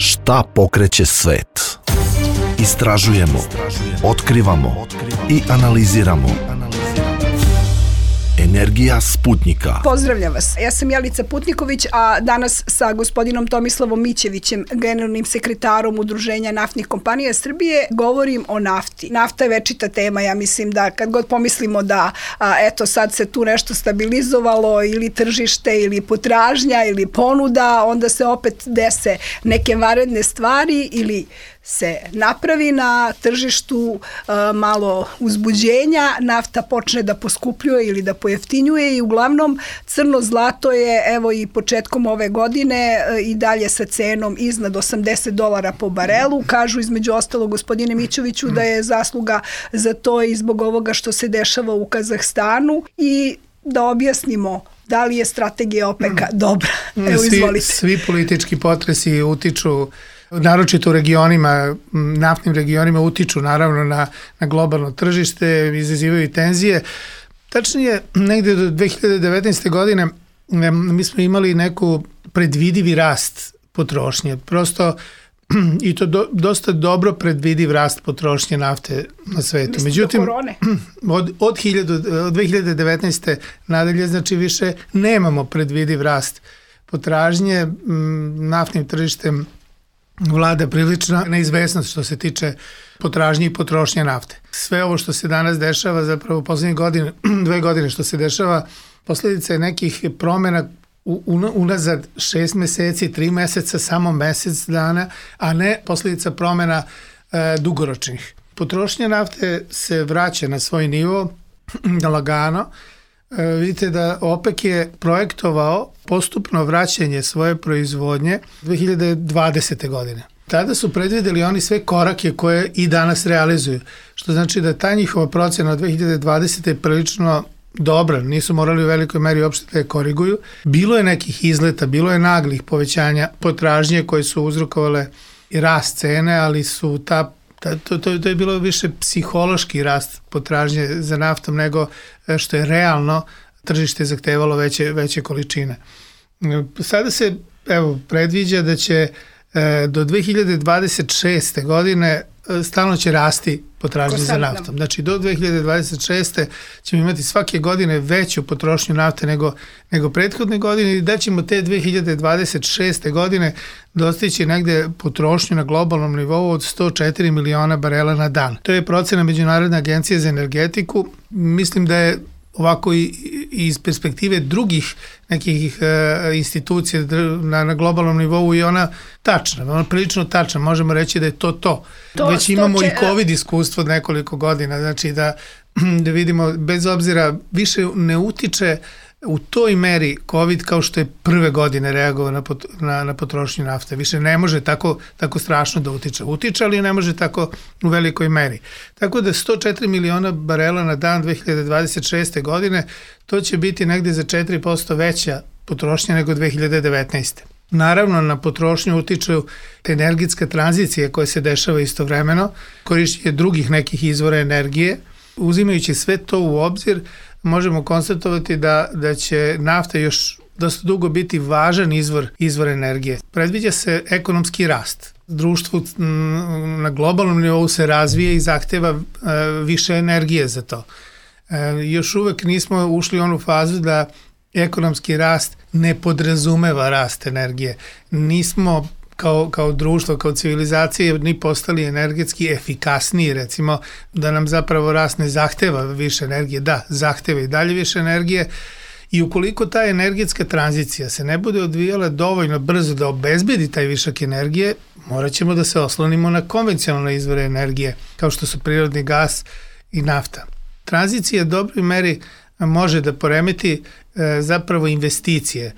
Šta pokreće svet? Istražujemo, otkrivamo i analiziramo. Energija Sputnika. Pozdravljam vas. Ja sam Jelica Putniković, a danas sa gospodinom Tomislavom Mićevićem, generalnim sekretarom Udruženja naftnih kompanija Srbije, govorim o nafti. Nafta je večita tema, ja mislim da kad god pomislimo da eto sad se tu nešto stabilizovalo ili tržište ili potražnja ili ponuda, onda se opet dese neke vanredne stvari ili se napravi na tržištu malo uzbuđenja, nafta počne da poskupljuje ili da pojeftinjuje i uglavnom crno zlato je evo i početkom ove godine i dalje sa cenom iznad $80 po barelu. Kažu između ostalo gospodine Mićeviću da je zasluga za to i zbog ovoga što se dešava u Kazahstanu i da objasnimo da li je strategija OPEC-a dobra. Evo izvolite. Svi politički potresi utiču, naročito u regionima, naftnim regionima, utiču naravno na globalno tržište, izazivaju tenzije. Tačnije, negde do 2019. godine mi smo imali neku predvidivi rast potrošnje. Prosto, i to dosta dobro predvidiv rast potrošnje nafte na svetu. Međutim, od 2019. nadalje, znači više nemamo predvidiv rast potražnje. Naftnim tržištem vlada prilična neizvesnost što se tiče potražnje i potrošnje nafte. Sve ovo što se danas dešava, zapravo u poslednje godine, 2 godine što se dešava, posledica je nekih promena unazad 6 meseci, 3 meseca, samo mesec dana, a ne posledica promena dugoročnih. Potrošnja nafte se vraća na svoj nivo lagano. Vidite da OPEC je projektovao postupno vraćanje svoje proizvodnje 2020. godine. Tada su predvideli oni sve korake koje i danas realizuju, što znači da ta njihova procena od 2020. je prilično dobra, nisu morali u velikoj meri uopšte da je koriguju. Bilo je nekih izleta, bilo je naglih povećanja potražnje koje su uzrokovale i rast cene, ali su to je bilo više psihološki rast potražnje za naftom nego što je realno tržište zahtevalo veće količine. Sada se predviđa da će do 2026. godine stalno će rasti potražnje za naftom. Znači do 2026. ćemo imati svake godine veću potrošnju nafte nego prethodne godine i da ćemo te 2026. godine dostići negde potrošnju na globalnom nivou od 104 miliona barela na dan. To je procena Međunarodne agencije za energetiku. Mislim da je ovako i iz perspektive drugih nekih institucija na globalnom nivou i ona tačna, ona prilično tačna, možemo reći da je to. Već imamo i COVID iskustvo od nekoliko godina, znači da vidimo, bez obzira, više ne utiče u toj meri COVID kao što je prve godine reagovao na potrošnju nafte. Više ne može tako strašno da utiče. Utiče, ali ne može tako u velikoj meri. Tako da 104 miliona barela na dan 2026. godine, to će biti negde za 4% veća potrošnja nego 2019. Naravno, na potrošnju utiču energetska tranzicija koja se dešava istovremeno, korišćenje drugih nekih izvora energije. Uzimajući sve to u obzir, možemo konstatovati da će nafta još dosta dugo biti važan izvor energije. Predviđa se ekonomski rast. Društvo na globalnom nivou se razvije i zahteva više energije za to. Još uvek nismo ušli u onu fazu da ekonomski rast ne podrazumeva rast energije. Nismo kao društvo, kao civilizacije ni postali energetski efikasniji, recimo da nam zapravo rast ne zahteva više energije, da, zahteva i dalje više energije i ukoliko ta energetska tranzicija se ne bude odvijala dovoljno brzo da obezbedi taj višak energije, morat ćemo da se oslonimo na konvencionalne izvore energije, kao što su prirodni gas i nafta. Tranzicija u dobroj meri može da poremeti zapravo investicije.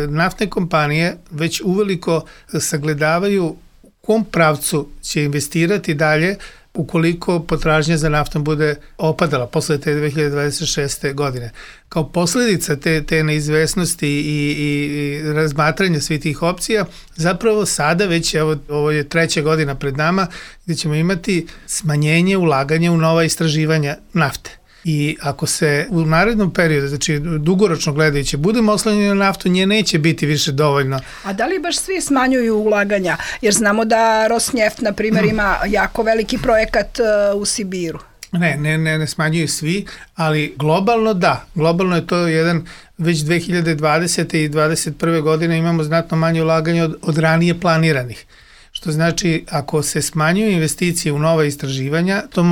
Naftne kompanije već uveliko sagledavaju u kom pravcu će investirati dalje ukoliko potražnja za naftom bude opadala posle te 2026. godine. Kao posledica te neizvesnosti i razmatranja svih tih opcija, zapravo sada već, ovo je 3. godina pred nama, gde ćemo imati smanjenje ulaganja u nova istraživanja nafte. I ako se u narednom periodu, znači dugoročno gledajući, budemo oslanjeni na naftu, nje neće biti više dovoljno. A da li baš svi smanjuju ulaganja? Jer znamo da Rosneft, na primjer, ima jako veliki projekat u Sibiru. Ne smanjuju svi, ali globalno da. Globalno je to jedan, već 2020. i 2021. godine imamo znatno manje ulaganja od ranije planiranih. Što znači, ako se smanjuju investicije u nova istraživanja, to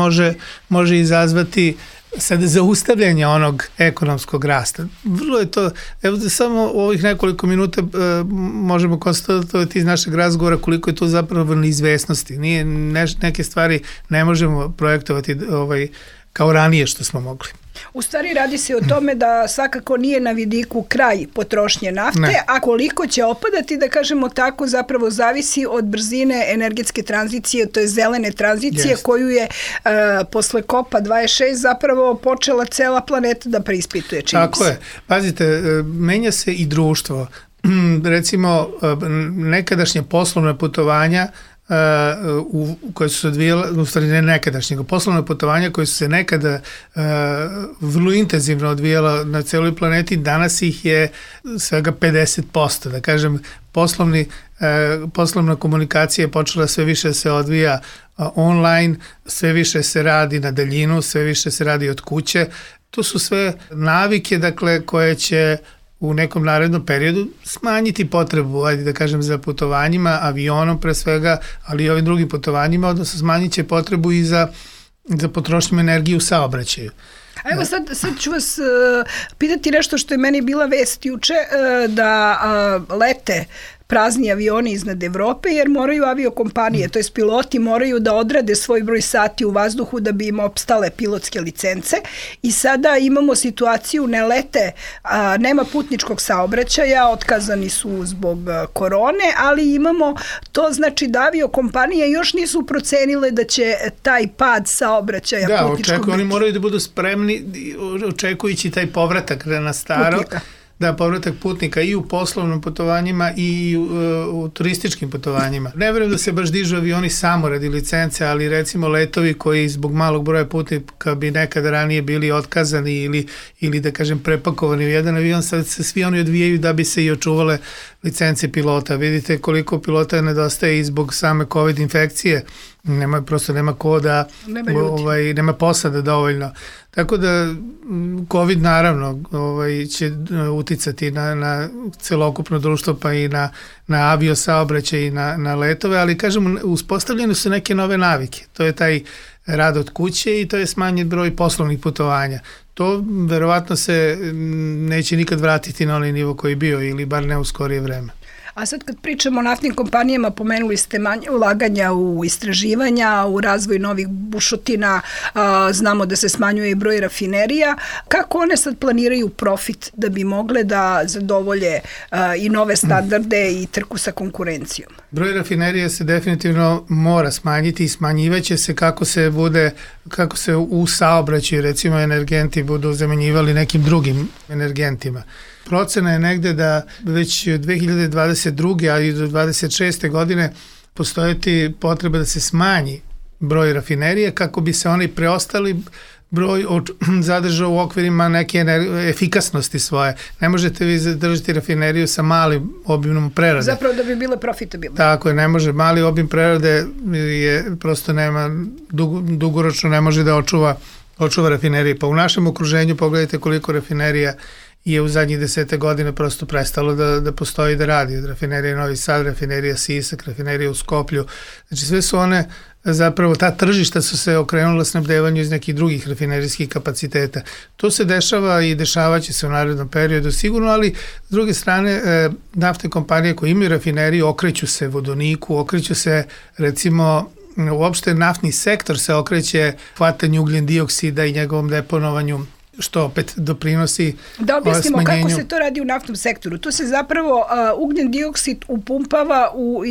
može izazvati sada zaustavljanje onog ekonomskog rasta. Vrlo je to, evo samo u ovih nekoliko minuta možemo konstatovati iz našeg razgovora koliko je to zapravo neizvesnosti. Neke stvari ne možemo projektovati kao ranije što smo mogli. U stvari radi se o tome da svakako nije na vidiku kraj potrošnje nafte, a koliko će opadati, da kažemo tako, zapravo zavisi od brzine energetske tranzicije, to je zelene tranzicije, koju je posle COP-a 26 zapravo počela cela planeta da preispituje. Tako je. Pazite, menja se i društvo. Recimo, nekadašnje poslovne putovanja koje su se odvijela, u stvari ne nekadašnjeg, poslovne putovanja koje su se nekada vrlo intenzivno odvijela na celoj planeti, danas ih je svega 50%. Da kažem, poslovna komunikacija je počela sve više da se odvija online, sve više se radi na daljinu, sve više se radi od kuće. To su sve navike, dakle, koje će u nekom narednom periodu smanjiti potrebu, ajde da kažem, za putovanjima, avionom pre svega, ali i ovim drugim putovanjima, odnosno smanjit će potrebu i za potrošnju energije u saobraćaju. A evo sad ću vas pitati nešto što je meni bila vest juče, da lete prazni avioni iznad Evrope, jer moraju aviokompanije, to jest piloti moraju da odrade svoj broj sati u vazduhu da bi im opstale pilotske licence, i sada imamo situaciju, ne lete, nema putničkog saobraćaja, otkazani su zbog korone, ali imamo to, znači da aviokompanije još nisu procenile da će taj pad saobraćaja putničkog biti. Oni moraju da budu spremni očekujući taj povratak na staro. Putnika. Da, povratak putnika i u poslovnim putovanjima i u turističkim putovanjima. Ne verujem da se baš dižu avioni samo radi licence, ali recimo letovi koji zbog malog broja putnika bi nekada ranije bili otkazani ili da kažem prepakovani u jedan avion, sad se svi oni odvijaju da bi se i očuvale licence pilota. Vidite koliko pilota nedostaje i zbog same COVID infekcije. Nema ko da, nema posada dovoljno. Tako da COVID naravno će uticati na celokupno društvo, pa i na avio saobraćaj i na letove, ali kažemo, uspostavljene su neke nove navike. To je taj rad od kuće i to je smanjen broj poslovnih putovanja. To verovatno se neće nikad vratiti na onaj nivo koji je bio, ili bar ne u skorije vreme. A sad kad pričamo o naftnim kompanijama, pomenuli ste manje ulaganja u istraživanja, u razvoj novih bušotina, znamo da se smanjuje i broj rafinerija. Kako one sad planiraju profit da bi mogle da zadovolje i nove standarde i trku sa konkurencijom? Broj rafinerija se definitivno mora smanjiti i smanjivaće se kako se u saobraćaju, recimo, energenti budu zamenjivali nekim drugim energentima. Procena je negde da već 2022. a i do 2026. godine postojati potreba da se smanji broj rafinerija kako bi se oni preostali broj zadržao u okvirima neke efikasnosti svoje. Ne možete vi zadržati rafineriju sa malim obimom prerade. Zapravo da bi bile profitabilne. Tako je, ne može. Mali obim prerade je prosto dugoročno ne može da očuva rafinerije. Pa u našem okruženju pogledajte koliko rafinerija je u zadnjih 10 godina prosto prestalo da postoji da radi. Od rafinerije Novi Sad, rafinerija Sisak, rafinerija u Skoplju. Znači sve su one, zapravo ta tržišta su se okrenula snabdevanju iz nekih drugih rafinerijskih kapaciteta. To se dešava i dešavaće se u narednom periodu sigurno, ali s druge strane naftne kompanije koje imaju rafineriju okreću se vodoniku, okreću se recimo uopšte naftni sektor se okreće hvatanju ugljen dioksida i njegovom deponovanju, što opet doprinosi da objasnimo smanjenju. Kako se to radi u naftnom sektoru. Tu se zapravo ugljen dioksid upumpava u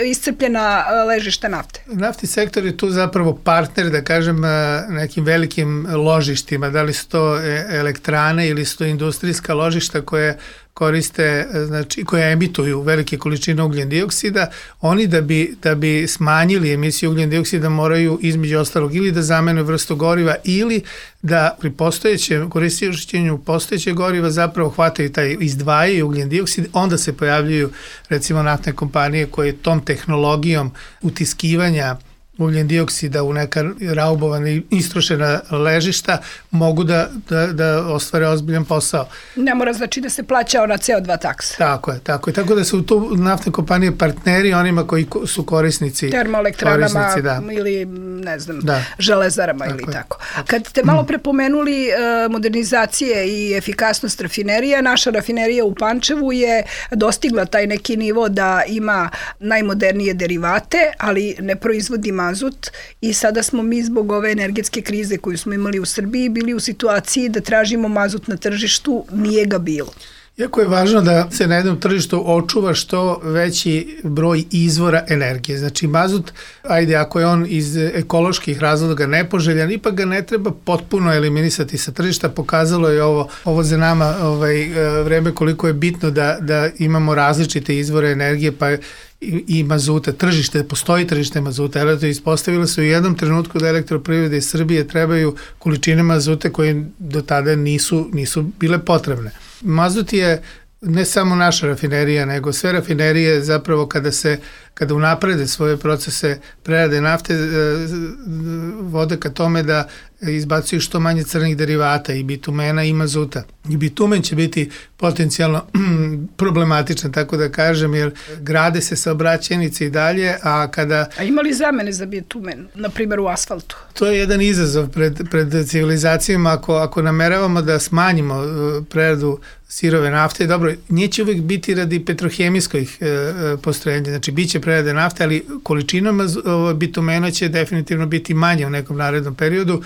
iscrpljena ležišta nafte. Naftni sektor je tu zapravo partner, da kažem, nekim velikim ložištima, da li su to elektrane ili su to industrijska ložišta koje koriste, znači koje emituju velike količine ugljen dioksida, oni da bi smanjili emisiju ugljen dioksida moraju između ostalog ili da zamene vrstu goriva ili da pri korišćenju postojećeg goriva zapravo hvataju izdvajaju ugljen dioksid, onda se pojavljuju recimo naftne kompanije koje tom tehnologijom utiskivanja ugljen dioksida u neka raubovana i istrošena ležišta mogu da ostvare ozbiljan posao. Ne mora znači da se plaća ona CO2 taksa. Tako je. Tako da su tu naftne kompanije partneri onima koji su korisnici. Termoelektranama ili ne znam, železarama tako ili tako. Kad ste malo prepomenuli modernizacije i efikasnost rafinerija, naša rafinerija u Pančevu je dostigla taj neki nivo da ima najmodernije derivate, ali ne proizvodi mazut i sada smo mi zbog ove energetske krize koju smo imali u Srbiji bili u situaciji da tražimo mazut na tržištu, nije ga bilo. Jako je važno da se na jednom tržištu očuva što veći broj izvora energije. Znači mazut, ako je on iz ekoloških razloga nepoželjan, ipak ga ne treba potpuno eliminisati sa tržišta. Pokazalo je ovo za nama vreme koliko je bitno da imamo različite izvore energije, pa i mazuta, postoji tržište mazuta, ispostavilo se u jednom trenutku da Elektroprivrede Srbije trebaju količine mazuta koje do tada nisu bile potrebne. Mazut je ne samo naša rafinerija, nego sve rafinerije zapravo kada unaprede svoje procese prerade nafte vode ka tome da izbacuju što manje crnih derivata i bitumena i mazuta. I bitumen će biti potencijalno problematičan, tako da kažem, jer grade se saobraćajnice i dalje, a ima li zamene za bitumen, na primjer u asfaltu? To je jedan izazov pred civilizacijama ako nameravamo da smanjimo preradu sirove nafte. Dobro, neće uvijek biti radi petrohemijskih postrojenja, znači bit će prerade nafte, ali količina bitumena će definitivno biti manja u nekom narednom periodu.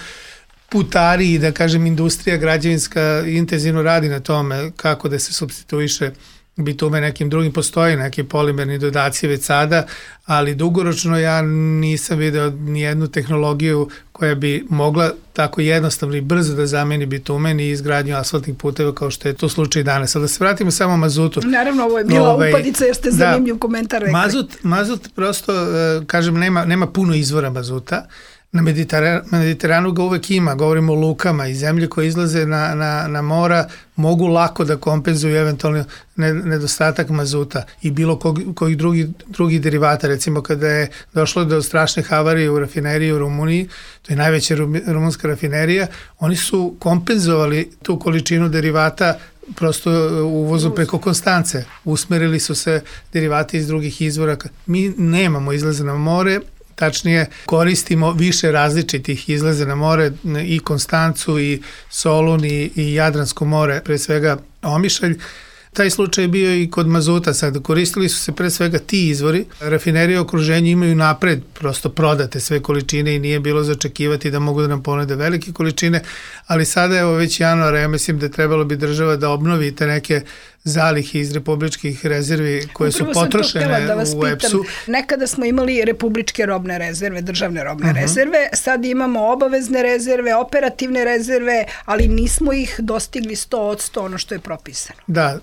Putari i da kažem industrija građevinska intenzivno radi na tome kako da se supstituiše bitumen nekim drugim, postoji neki polimerni dodaci već sada, ali dugoročno ja nisam video nijednu tehnologiju koja bi mogla tako jednostavno i brzo da zameni bitumen i izgradnju asfaltnih puteva kao što je to slučaj danas. Ali da se vratimo samo mazutu. Naravno, ovo je bila upadica jer ste zanimljiv komentar rekli. Mazut prosto, kažem, nema puno izvora mazuta. Na Mediteranu ga uvek ima, govorimo o lukama i zemlje koje izlaze na mora mogu lako da kompenzuju eventualno nedostatak mazuta i bilo kojih drugih derivata. Recimo kada je došlo do strašne havarije u rafineriji u Rumuniji, to je najveća rumunska rafinerija, oni su kompenzovali tu količinu derivata prosto uvozom preko Konstance. Usmerili su se derivati iz drugih izvora. Mi nemamo izlaze na more, tačnije koristimo više različitih izlaze na more, i Konstancu i Solun i Jadransko more, pre svega Omišalj. Taj slučaj je bio i kod mazuta sad. Koristili su se pre svega ti izvori. Rafinerije u okruženju imaju napred prosto prodate sve količine i nije bilo za očekivati da mogu da nam ponude velike količine, ali sada je već januara, ja mislim da trebalo bi država da obnovi te neke zalihe iz republičkih rezervi koje su potrošene u EPS-u. Nekada smo imali republičke robne rezerve, državne robne rezerve, sad imamo obavezne rezerve, operativne rezerve, ali nismo ih dostigli 100% ono što je propisano. Da,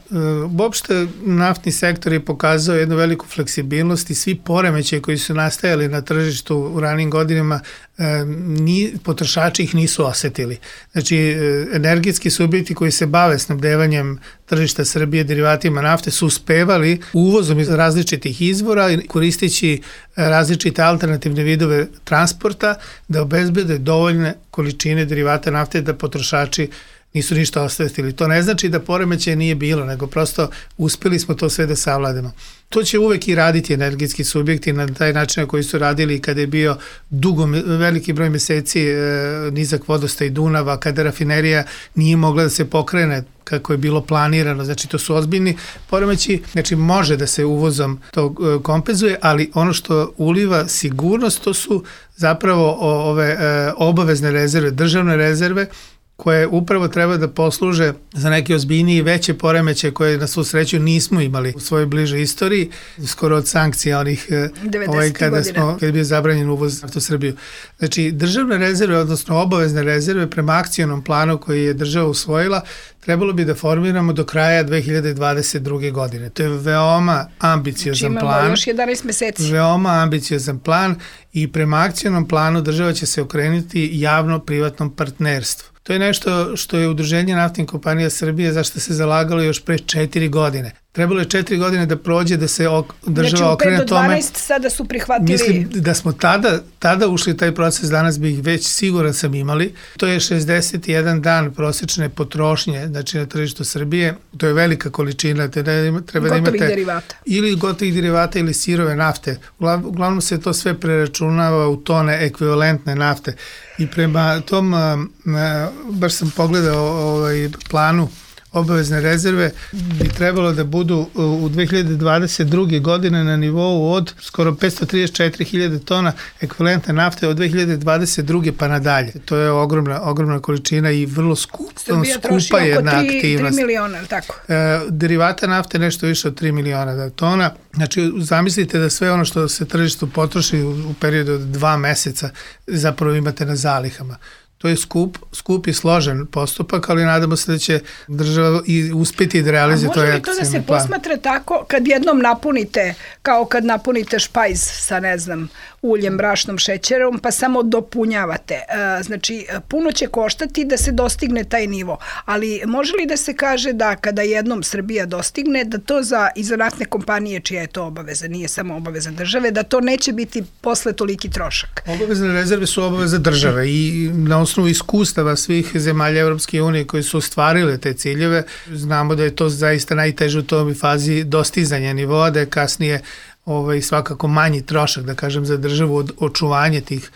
uopšte naftni sektor je pokazao jednu veliku fleksibilnost i svi poremećaji koji su nastajali na tržištu u ranim godinama, potrošači ih nisu osetili. Znači, energetski subjekti koji se bave snabdevanjem tržišta Srbije derivatima nafte su uspevali uvozom iz različitih izvora koristeći različite alternativne vidove transporta da obezbede dovoljne količine derivata nafte da potrošači nisu ništa osetili. To ne znači da poremećaja nije bilo, nego prosto uspeli smo to sve da savladamo. To će uvek i raditi energetski subjekti na taj način na koji su radili kada je bio veliki broj meseci nizak vodostaj Dunava, kada rafinerija nije mogla da se pokrene kako je bilo planirano. Znači, to su ozbiljni poremeći. Znači, može da se uvozom to kompenzuje, ali ono što uliva sigurnost, to su zapravo ove obavezne rezerve, državne rezerve, koje upravo treba da posluže za neke ozbiljnije i veće poremeće koje na svu sreću nismo imali u svojoj bližoj istoriji, skoro od sankcija onih kada je bio zabranjen uvoz nafte u Srbiju. Znači, državne rezerve, odnosno obavezne rezerve prema akcionom planu koji je država usvojila, trebalo bi da formiramo do kraja 2022. godine. To je veoma ambiciozan plan. Imamo još 11 meseci. Veoma ambiciozan plan i prema akcionom planu država će se okrenuti javno-privatnom partnerstvu. To je nešto što je Udruženje naftnih kompanija Srbije zašto se zalagalo još pre 4 godine. Trebalo je 4 godine da prođe da se država okrene tome. Znači u 5 do 12 sada su prihvatili... Mislim da smo tada ušli taj proces, danas bi ih već siguran sam imali. To je 61 dan prosečne potrošnje, znači na tržištu Srbije. To je velika količina. Treba da imate derivata. Ili gotovih derivata ili sirove nafte. Uglavnom se to sve preračunava u tone ekvivalentne nafte. I prema tom, baš sam pogledao planu obavezne rezerve, bi trebalo da budu u 2022. godine na nivou od skoro 534.000 tona ekvivalentne nafte od 2022. pa nadalje. To je ogromna količina i vrlo skupa jedna aktivnost. 3 miliona, ili tako? Derivata nafte nešto više od 3 miliona tona. Znači, zamislite da sve ono što se tržištu potroši u periodu od 2 meseca zapravo imate na zalihama. To je skup i složen postupak, ali nadamo se da će država i uspeti da realizuje to akcijni plan. A može li to da se posmatra tako kad jednom napunite, kao kad napunite špajz sa, ne znam, uljem, brašnom, šećerom, pa samo dopunjavate. Znači, puno će koštati da se dostigne taj nivo, ali može li da se kaže da kada jednom Srbija dostigne, da to i za naftne kompanije čija je to obaveza, nije samo obaveza države, da to neće biti posle toliki trošak? Obavezne rezerve su obaveza države i na osnovu iskustava svih zemalja Evropske unije koji su ostvarile te ciljeve, znamo da je to zaista najteže u toj fazi dostizanja nivoa, da je kasnije svakako manji trošak, da kažem, za državu od očuvanja tih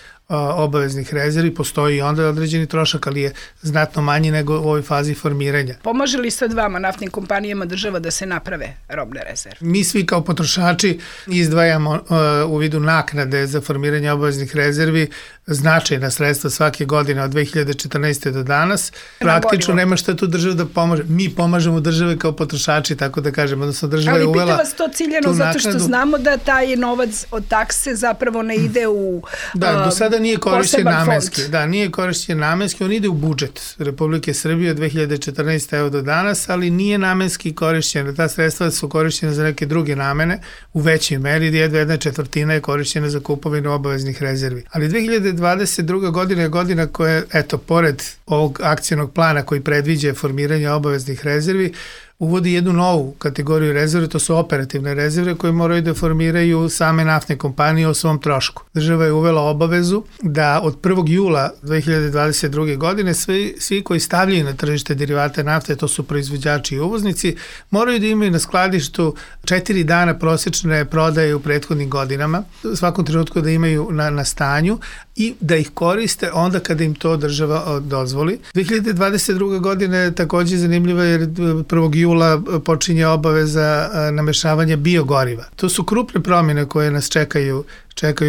obaveznih rezervi. Postoji i onda određeni trošak, ali je znatno manji nego u ovoj fazi formiranja. Pomaže li sad vama, naftnim kompanijama, država da se naprave robne rezerve? Mi svi kao potrošači izdvajamo u vidu naknade za formiranje obaveznih rezervi značajna sredstva svake godine od 2014. do danas. Praktično nema šta tu država da pomaže. Mi pomažemo države kao potrošači, tako da kažem, odnosno država je uvela. Ali pita vas to ciljeno zato što znamo da taj novac od takse zapravo ne ide u do sada nije korišćen namenski. Da, nije korišćen namenski, on ide u budžet Republike Srbije od 2014. evo do danas, ali nije namenski korišćen. Ta sredstva su korišćene za neke druge namene u većoj meri, 1/4 je korišćena za kupovinu obaveznih rezervi. Ali 2022. godina je godina koja, pored ovog akcionog plana koji predviđa formiranje obaveznih rezervi, uvodi jednu novu kategoriju rezerve, to su operativne rezerve koje moraju da formiraju same naftne kompanije o svom trošku. Država je uvela obavezu da od 1. jula 2022. godine svi koji stavljaju na tržište derivate nafte, to su proizvođači i uvoznici, moraju da imaju na skladištu 4 dana prosečne prodaje u prethodnim godinama, u svakom trenutku da imaju na stanju i da ih koriste onda kada im to država dozvoli. 2022. godine je takođe zanimljiva jer 1. jula počinje obaveza namešavanja biogoriva. To su krupne promjene koje nas čekaju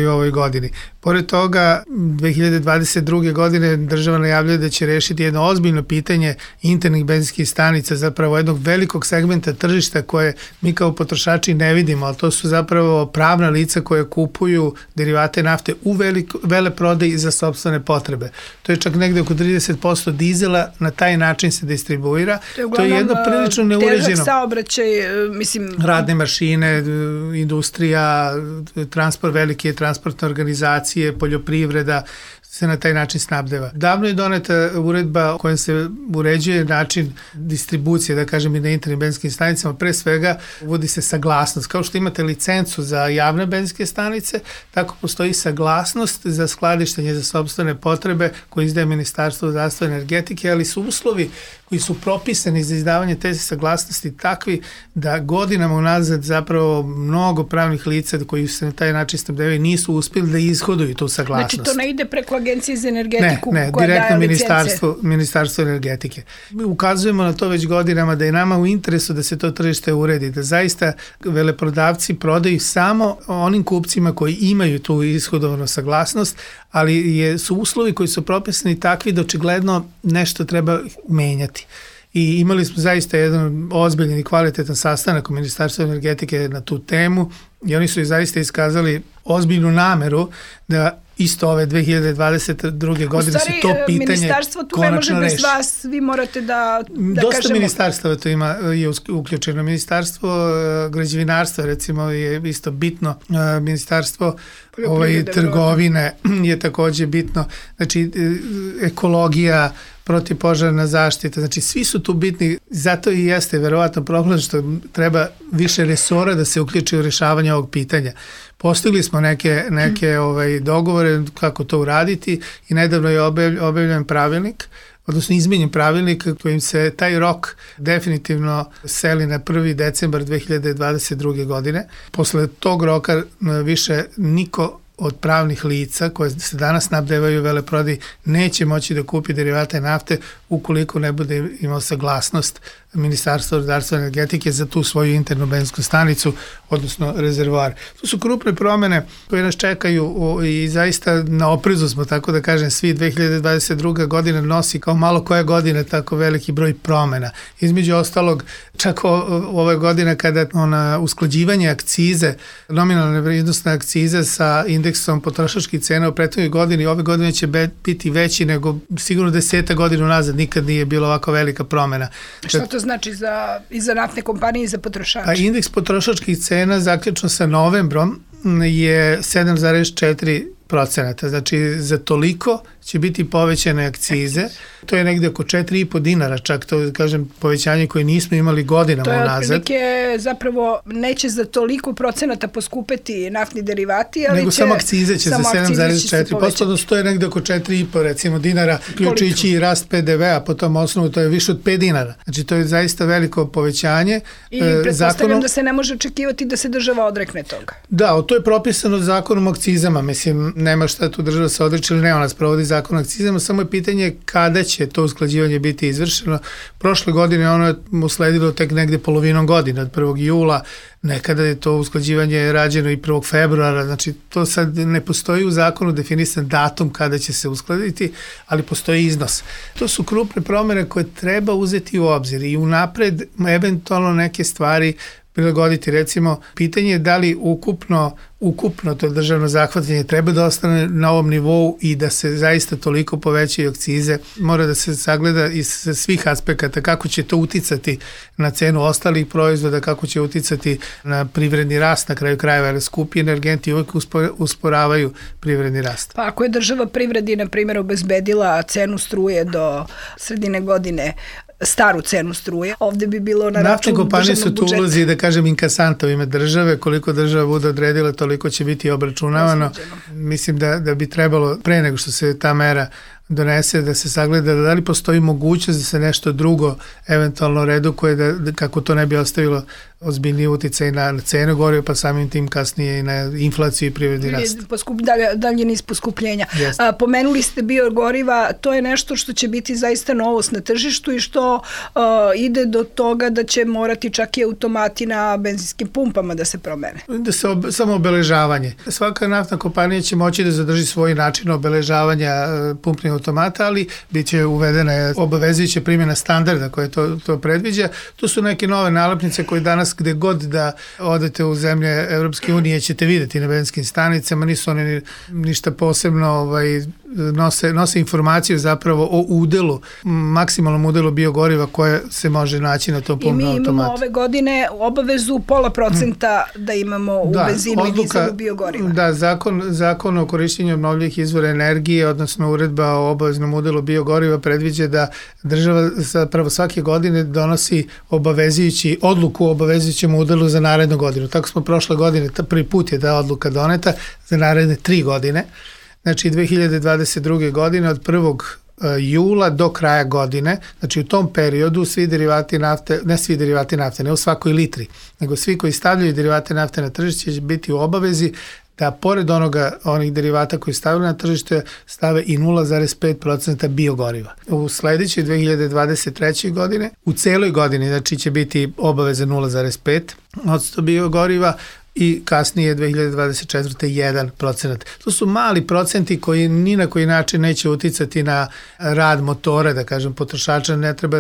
u ovoj godini. Pored toga, 2022. godine država najavljuje da će rešiti jedno ozbiljno pitanje internih benzinskih stanica, zapravo jednog velikog segmenta tržišta koje mi kao potrošači ne vidimo, ali to su zapravo pravna lica koje kupuju derivate nafte u veleprodaji za sopstvene potrebe. To je čak negde oko 30% dizela, na taj način se distribuira. To je jedno prilično neuređeno. Težak saobraćaj, mislim... Radne mašine, industrija, transport, velike transportne organizacije, poljoprivreda, se na taj način snabdeva. Davno je doneta uredba kojom se uređuje način distribucije, da kažem, i na internim benzinskim stanicama. Pre svega uvodi se saglasnost. Kao što imate licencu za javne benzinske stanice, tako postoji saglasnost za skladištenje za sopstvene potrebe koje izdaje Ministarstvo zdravstva i energetike, ali su uslovi koji su propisani za izdavanje te saglasnosti takvi da godinama unazad zapravo mnogo pravnih lica koji se na taj način snabdevaju nisu uspjeli da ishoduju tu saglasnost. Znači to ne ide preko preko Agencije za energetiku koja daje direktno licence? Ministarstvo energetike. Mi ukazujemo na to već godinama da je nama u interesu da se to tržište uredi, da zaista veleprodavci prodaju samo onim kupcima koji imaju tu ishodovanu saglasnost, ali su uslovi koji su propisani takvi da očigledno nešto treba menjati. I imali smo zaista jedan ozbiljan i kvalitetan sastanak u Ministarstvu energetike na tu temu i oni su zaista iskazali ozbiljnu nameru da isto ove 2022. godine se to pitanje ministarstvo tu ne može bez vas, vi morate da dosta kažemo... ministarstva to je uključeno. Ministarstvo građevinarstva recimo je isto bitno, ministarstvo trgovine je takođe bitno, znači ekologija, protivpožarna zaštita, znači svi su tu bitni, zato i jeste verovatno problem što treba više resora da se uključi u rešavanje ovog pitanja. Postigli smo neke dogovore kako to uraditi i nedavno je objavljen pravilnik, odnosno izmenjen pravilnik kojim se taj rok definitivno seli na 1. decembar 2022. godine. Posle tog roka više niko od pravnih lica koje se danas snabdevaju veleprodaji neće moći da kupi derivate nafte ukoliko ne bude imao saglasnost Ministarstva rudarstva i energetike za tu svoju internu benzinsku stanicu, odnosno rezervoar. To su krupne promene koje nas čekaju i zaista na oprezu smo, tako da kažem, svi 2022. godina nosi kao malo koje godine tako veliki broj promena. Između ostalog, čak ove godine kada usklađivanje akcize, nominalne vrednostne akcize sa indeksom potrošačkih cena u prethodnoj godini, ove godine će biti veći nego sigurno 10 godina unazad, nikad nije bilo ovako velika promena. Šta to znači i za naftne kompanije i za potrošače? A indeks potrošačkih cena zaključno sa novembrom je 7,4%. Znači za toliko će biti povećane akcize. To je negde oko 4,5 dinara, čak to kažem povećanje koje nismo imali godinama unazad. To je otprilike zapravo neće za toliko procenata poskupeti naftni derivati, ali nego samo akcize će za 7,4%, odnosno to je negde oko 4,5 recimo dinara, uključujući i rast PDV-a po tom osnovu, to je više od 5 dinara. Znači to je zaista veliko povećanje. I pretpostavljam da se ne može očekivati da se država odrekne toga. Da, to je propisano zakonom o akcizama, mislim, nema šta tu država se odreće ili ne, ona sprovodi zakon o akcizama, samo je pitanje kada će to usklađivanje biti izvršeno. Prošle godine ono je usledilo tek negde polovinom godine, od 1. jula, nekada je to usklađivanje rađeno i 1. februara, znači to sad ne postoji u zakonu definisan datum kada će se uskladiti, ali postoji iznos. To su krupne promene koje treba uzeti u obzir i unapred eventualno neke stvari prilagoditi. Recimo, pitanje je da li ukupno to državno zahvatanje treba da ostane na ovom nivou i da se zaista toliko povećaju akcize. Mora da se sagleda iz svih aspekata kako će to uticati na cenu ostalih proizvoda, kako će uticati na privredni rast na kraju krajeva, jer skupi energenti uvijek usporavaju privredni rast. Pa ako je država privredi, na primjer, obezbedila cenu struje do sredine godine, staru cenu struje, ovde bi bilo na račun državnog budžeta. Naftne kompanije su tu ulazi, da kažem, inkasanta u ime države, koliko država bude odredila, toliko će biti obračunavano. Mislim da bi trebalo, pre nego što se ta mera donese, da se sagleda da li postoji mogućnost da se nešto drugo eventualno redukuje, kako to ne bi ostavilo ozbiljniji uticaj na cenu goriva, pa samim tim kasnije i na inflaciju i privredni rast. Dalje niz poskupljenja. Pomenuli ste biogoriva, to je nešto što će biti zaista novost na tržištu i što ide do toga da će morati čak i automati na benzinskim pumpama da se promene. Samo obeležavanje. Svaka naftna kompanija će moći da zadrži svoj način obeležavanja pumpnih automata, ali bit će uvedena obavezujuća primjena standarda koje to predviđa. Tu su neke nove nalepnice koje danas gde god da odete u zemlje Evropske unije ćete videti na benzinskim stanicama, nisu one ništa posebno, nose informaciju zapravo o udelu, maksimalnom udelu biogoriva koje se može naći na tom pumpnom automatu. I mi imamo ove godine obavezu 0,5% da imamo u benzinu i dizelu biogoriva. Da, zakon o korišćenju obnovljivih izvora energije, odnosno uredba o obaveznom udelu biogoriva predviđa da država zapravo svake godine donosi odluku o obavezujućem udelu za narednu godinu. Tako smo prošle godine, prvi put je ta odluka doneta za naredne 3 godine. Znači 2022. godine od 1. jula do kraja godine, znači u tom periodu svi derivati nafte, ne u svakoj litri, nego svi koji stavljaju derivate nafte na tržište će biti u obavezi da pored onih derivata koji stavljaju na tržište stave i 0,5% biogoriva. U sledećoj 2023. godine, u celoj godini, znači će biti obaveza 0,5% biogoriva, i kasnije 2024. 1%. To su mali procenti koji ni na koji način neće uticati na rad motora, da kažem, potrošača. Ne treba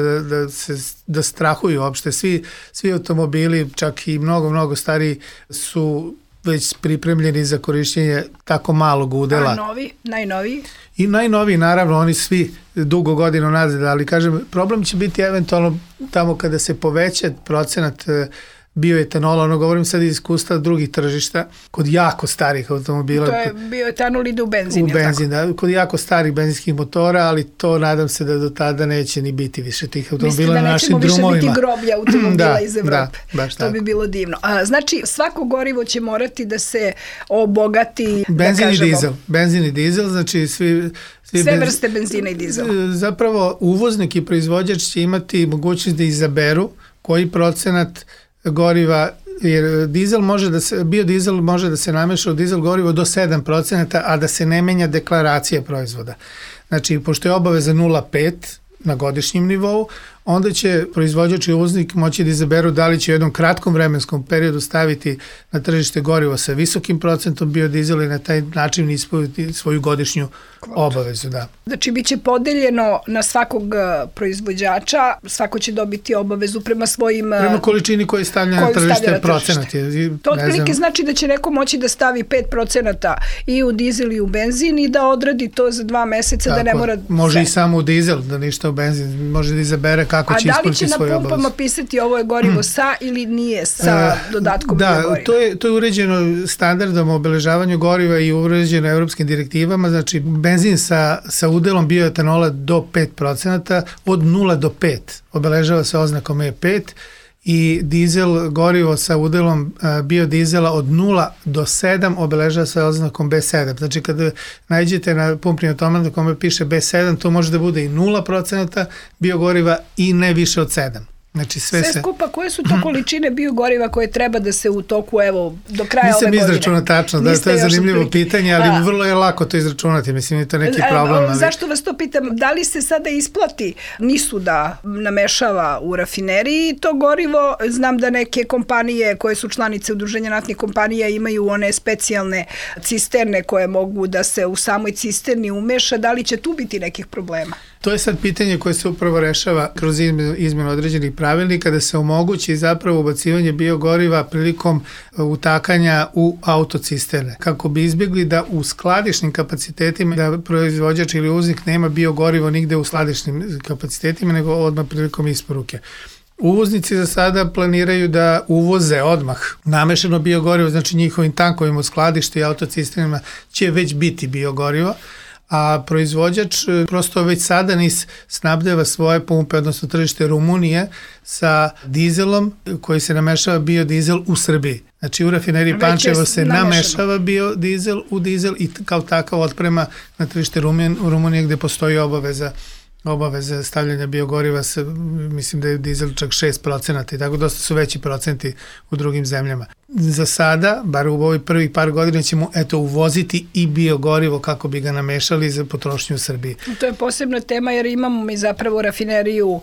da strahuju uopšte. Svi automobili, čak i mnogo stariji, su već pripremljeni za korišćenje tako malog udela. A najnoviji? I najnoviji, naravno, oni svi dugo godina nazad, ali kažem, problem će biti eventualno tamo kada se poveća procenat bioetanola, govorim sad iz iskustva drugih tržišta, kod jako starih automobila. To je bioetanol ide u benzin, u benzin, da, kod jako starih benzinskih motora, ali to nadam se da do tada neće ni biti više tih automobila na našim drumovima. Mislite da nećemo više biti groblja automobila iz Evrope. Da, baš to tako. Bi bilo divno. Znači, svako gorivo će morati da se obogati, Benzin i dizel, znači sve vrste benzina i dizela. Zapravo, uvoznik i proizvođač će imati mogućnost da izaberu koji procenat goriva, jer biodizel može da se nameša u dizel gorivo do 7%, a da se ne menja deklaracija proizvoda. Znači, pošto je obaveza 0,5 na godišnjem nivou, onda će proizvođač i uvoznik moći da izaberu da li će u jednom kratkom vremenskom periodu staviti na tržište gorivo sa visokim procentom biodizela i na taj način ispuniti svoju godišnju obavezu. Da. Znači, bit će podeljeno na svakog proizvođača, svako će dobiti obavezu prema svojim... Prema količini koji stavlja na tržište procenat. To otprilike znači da će neko moći da stavi 5% i u dizel i u benzin i da odradi to za 2 meseca. Tako, da ne mora... Može i samo u dizel, da ništa u benzin, može da izabere kako će ispuniti svoju obavezu. A da li će na pumpama pisati ovo je gorivo sa ili nije sa dodatkom biogoriva? Da, to je uređeno standardom o obeležavanju goriva i uređeno evropskim direktivama, znači benzin sa udelom bioetanola do 5%, od 0 do 5 obeležava se oznakom E5 i dizel gorivo sa udelom biodizela od 0 do 7 obeležava se oznakom B7. Znači kada nađete na pumpni automat na kome piše B7, to može da bude i 0% biogoriva i ne više od 7. Znači sve skupa, koje su to količine biogoriva koje treba da se u toku, do kraja ove godine? Nisam izračunao tačno, to je zanimljivo pitanje, ali vrlo je lako to izračunati, mislim je to neki problem. Ali... Zašto vas to pitam? Da li se sada isplati NIS-u da namešava u rafineriji to gorivo? Znam da neke kompanije koje su članice udruženja naftnih kompanija imaju one specijalne cisterne koje mogu da se u samoj cisterni umeša. Da li će tu biti nekih problema? To je sad pitanje koje se upravo rešava kroz izmenu određenih pravilnika da se omogući zapravo ubacivanje biogoriva prilikom utakanja u autocisterne, kako bi izbjegli da u skladišnim kapacitetima da proizvođač ili uvoznik nema biogorivo nigde u skladišnim kapacitetima, nego odmah prilikom isporuke. Uvoznici za sada planiraju da uvoze odmah namešano biogorivo, znači njihovim tankovima u skladištu i autocisternama će već biti biogorivo, a proizvođač prosto već sada NIS snabdeva svoje pumpe, odnosno tržište Rumunije sa dizelom koji se namešava biodizel u Srbiji. Znači u rafineriji Pančevo se namešava biodizel u dizel i kao takav otprema na tržište Rumunije gde postoji obaveza stavljanja biogoriva, mislim da je dizel čak 6% i tako dosta su veći procenti u drugim zemljama. Za sada, bar u ovoj prvih par godina ćemo uvoziti i biogorivo kako bi ga namešali za potrošnju u Srbiji. To je posebna tema jer imamo mi zapravo rafineriju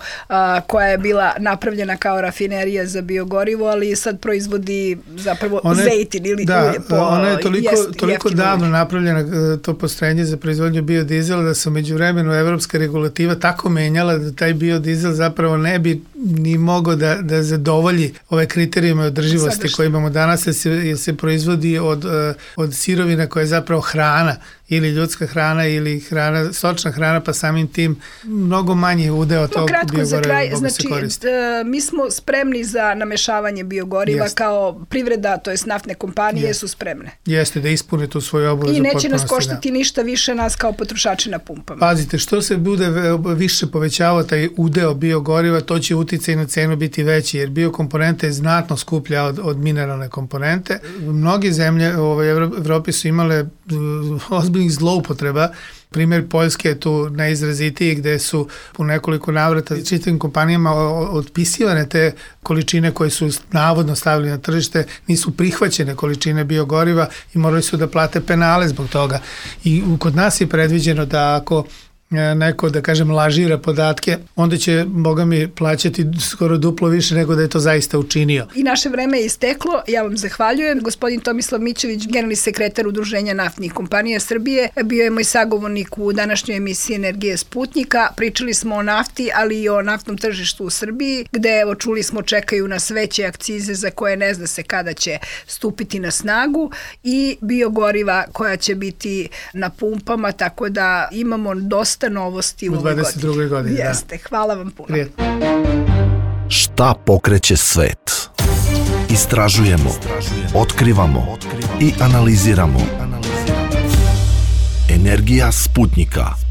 koja je bila napravljena kao rafinerija za biogorivo, ali sad proizvodi zapravo zejtin ili ulje. Da, ona je toliko davno napravljena to postrojenje za proizvodnju biodizela da se međuvremenu evropska regulativa tako menjala da taj biodizel zapravo ne bi ni mogao da zadovolji ove kriterijume održivosti koje imamo danas, jer se proizvodi od sirovina koja je zapravo hrana, ili ljudska hrana ili stočna hrana, pa samim tim mnogo manje udeo tog biogoriva mogu se koristiti. Mi smo spremni za namešavanje biogoriva kao privreda, to je naftne kompanije su spremne. Jeste, da ispune tu svoju obavezu. I neće nas koštati ništa više nas kao potrošači na pumpama. Pazite, što se bude više povećavao taj udeo biogoriva, to će uticaj na cenu biti veći, jer biokomponenta je znatno skuplja od mineralne komponente. Mnoge zemlje u Evropi su imale ozbiljne ozbiljnih zloupotreba. Primjer Poljske je tu najizrazitiji, gde su u nekoliko navrata čitavim kompanijama otpisivane te količine koje su navodno stavili na tržište, nisu prihvaćene količine biogoriva i morali su da plate penale zbog toga. I kod nas je predviđeno da ako neko, da kažem, lažira podatke, onda će, boga mi, plaćati skoro duplo više nego da je to zaista učinio. I naše vreme je isteklo. Ja vam zahvaljujem. Gospodin Tomislav Mićević, generalni sekretar Udruženja naftnih kompanija Srbije, bio je moj sagovornik u današnjoj emisiji Energije Sputnika. Pričali smo o nafti, ali i o naftnom tržištu u Srbiji, gde, evo, čuli smo, čekaju nas veće akcize za koje ne zna se kada će stupiti na snagu i biogoriva koja će biti na pumpama, tako da imamo dosta novosti u ovoj 22. godini. Jeste, hvala vam puno. Prijetno. Šta pokreće svet? Istražujemo, otkrivamo i analiziramo. Energija Sputnika.